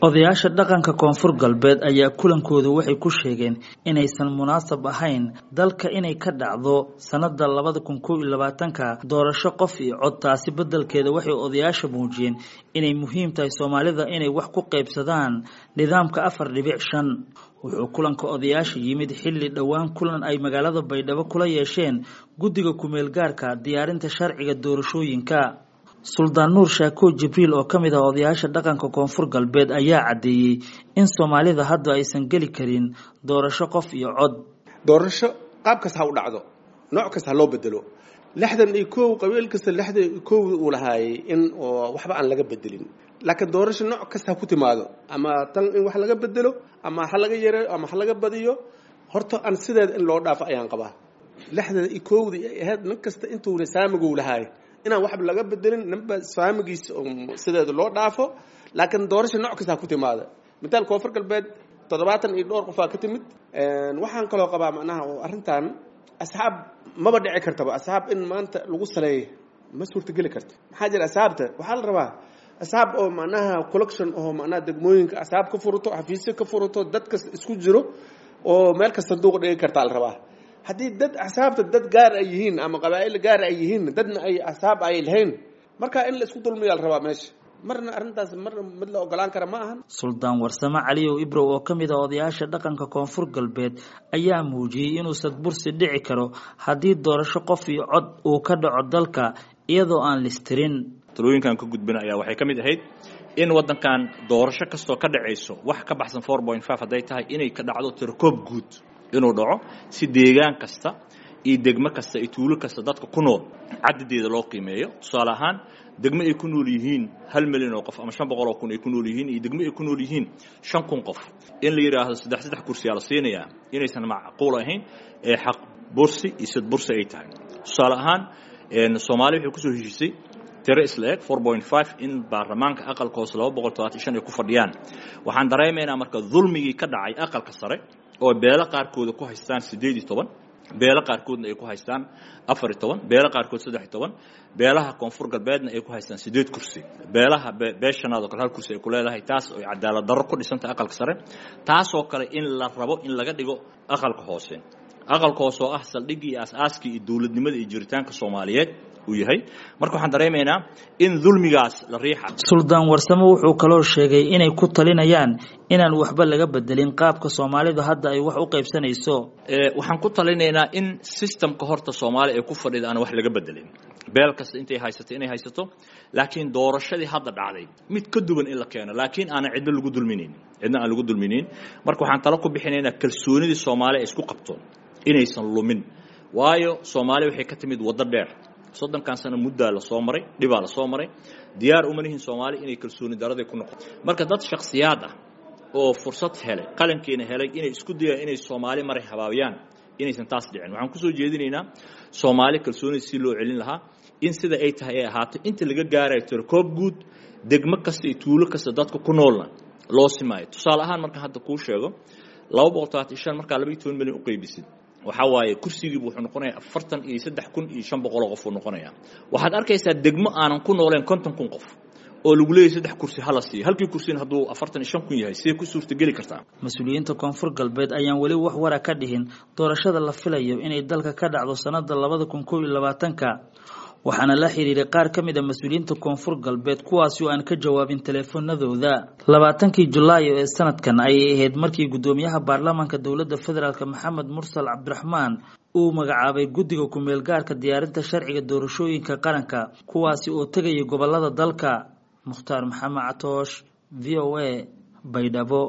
Odayaasha dhaqanka Koonfur Galbeed ayaa kulankoodu waxay ku sheegeen inaysan munaasab ahayn dalka inay ka dhacdo sanada 2021 doorasho qof iyo cod. Taasi beddelkeeda waxay odayaasha muujiyeen inay muhiim tahay Soomaalida inay wax ku qaybsadaan nidaamka 4.5. Wuxuu kulanka odayaasha yimid xilli dhowaan kulan ay magaalada Baydhabo kula yeesheen guddiga ku-meel gaarka diyaarinta sharciga doorashooyinka. Suldaan Nuur Shaako Jibriil oo ka mid ah odayaasha dhaqanka Koonfur Galbeed ayaa caddeeyey in Soomaalida hadda aysan geli karin doorasho qof iyo cod. Doorasho qaab kasta ha u dhacdo, nooc kasta ha loo bedelo. 61 qabiil kasta 61 uu lahaayay in oo waxba aan laga bedelin, laakiin doorasho nooc kasta ha ku timaado, ama tan in wax laga bedelo ama ha laga yareeyo ama ha laga badiyo, horta aan sideeda in loo dhaafo ayaan qabaa. 61dii ay ahayd nin kasta intuuna saamiguu lahaayay inaan waxba laga bedelin, ninba saamigiisa sideeda loo dhaafo, laakiin doorasho nooc kasta ha ku timaada. Mitaal Koonfur Galbeed 70 iyo dhowr qofaa ka timid. Waxaan kaloo qabaa macnaha oo arrintan asxaab maba dhici kartaba, asxaab in maanta lagu saleeyo ma suurtageli karto. Maxaa jira, asxaabta waxaa la rabaa asxaab oo macnaha collection oo macnaha degmooyinka asxaab ka furato, xafiisyo ka furato, dadkas isku jiro oo meel kasta sanduuq dhigi kartaa la rabaa. Haddii dad axsaabta dad gaar ay yihiin ama qabaa'il gaar ay yihiin, dadna ay axsaab ay lahayn, marka in la isku dulmiyaa la rabaa meesha. Marna arrintaas marna mid la ogolaan kara ma ahan. Suldaan Warsame Caliyow Ibrow oo ka mid ah odayaasha dhaqanka Koonfur Galbeed ayaa muujiyey inuusan bursi dhici karo haddii doorasho qof iyo cod uu ka dhaco dalka iyadoo aan listirin. Talooyinkan ka gudbina ayaa waxay ka mid ahayd in waddankan doorasho kastoo ka dhacayso wax ka baxsan 4.5 hadday tahay inay ka dhacdo tirokoob guud inuu dhaco, si deegaan kasta iyo degmo kasta iyo tuulo kasta dadka ku nool cadadeeda loo qiimeeyo. Tusaale ahaan, degmo ay ku nool yihiin 1 milyan oo qof ama 500,000 ay ku nool yihiin iyo degmo ay ku nool yihiin 5,000 qof, in la yidhaahdo saddex saddex kursiyaa la siinayaa inaysan macquul ahayn ee xaq bursi iyo sad bursi ay tahay. Tusaale ahaan, Soomaaliya waxay kusoo heshiisay tiro isla eg 4.5 in baarlamaanka aqalka hoose 275 ay ku fadhiyaan. Waxaan dareemaynaa marka dulmigii ka dhacay aqalka sare oo beelo qaarkooda ku haystaan 18, beelo qaarkoodna ay ku haystaan 14, beelo qaarkood 13, beelaha Koonfur Galbeedna ay ku haystaan 8 kursi, beelaha beeshanaad oo kale hal kursi ay ku leedahay. Taas oo cadaalad darro ku dhisantay aqalka sare, taasoo kale in la rabo in laga dhigo aqalka hoose, aqalka hoose oo ah saldhiggii iyo aas-aaskii iyo dowladnimada iyo jiritaanka Soomaaliyeed uu yahay. Marka waxaan dareemaynaa in dulmigaas la riixa. Suldaan Warsame wuxuu kaloo sheegay inay ku talinayaan inaan waxba laga bedelin qaabka Soomaalidu hadda ay wax u qaybsanayso. Waxaan ku talinaynaa in systemka horta Soomaaliya ay ku fadhida aan wax laga bedelin, beel kasta intay haysato inay haysato, laakiin doorashadii hadda dhacday mid ka duwan in la keeno, laakiin aanan cidna lagu dulminayn, cidna aan lagu dulminayn. Marka waxaan talo ku bixinaynaa kalsoonidii Soomaaliya ay isku qabto inaysan lumin, waayo Soomaaliya waxay ka timid waddo dheer, 30kan sano muddaa la soo maray, dhibaa la soo maray. Diyaar uma nihin Soomaali inay kalsooni daraday ku noqoto. Marka dad shakhsiyaad ah oo fursad helay, qalankiina helay, inay isku dayaan inay Soomaali maray habaabiyaan, inaysan taas dhicin. Waxaan kusoo jeedinaynaa Soomaali kalsoonida si loo celin lahaa in sida ay tahay ay ahaato inta laga gaarayo tirokoob guud, degmo kasta iyo tuulo kasta dadka ku noolna loo simaayo. Tusaale ahaan, markaan hadda kuu sheego 235 markaa 12 milyan u qaybisid, waxaa waaye kursigiibu wuxuu noqonayaa 43,500 qof uu noqonayaa. Waxaad arkaysaa degmo aanan ku nooleen 50,000 qof oo lagu leeyahy 3 kursi hala siiyo, halkii kursina hadduu 45,000 yahay, sidee ku suurtageli kartaa? Mas-uuliyiinta Koonfur Galbeed ayaan weli wax wara ka dhihin doorashada la filayo inay dalka ka dhacdo sanada 2021-ka. Waxaana la xiriiray qaar ka mid a mas-uuliyiinta Koonfur Galbeed kuwaasi oo aan ka jawaabin teleefoonadooda. 20kii Julaayo ee sanadkan ayay ahayd markii guddoomiyaha baarlamaanka dowladda federaalk Maxamed Mursal Cabdiraxmaan uu magacaabay guddiga ku-meel gaarka diyaarinta sharciga doorashooyinka qaranka, kuwaasi oo tegaya gobolada dalka. Mukhtaar Maxamed Catoosh, VOA, Baydhabo.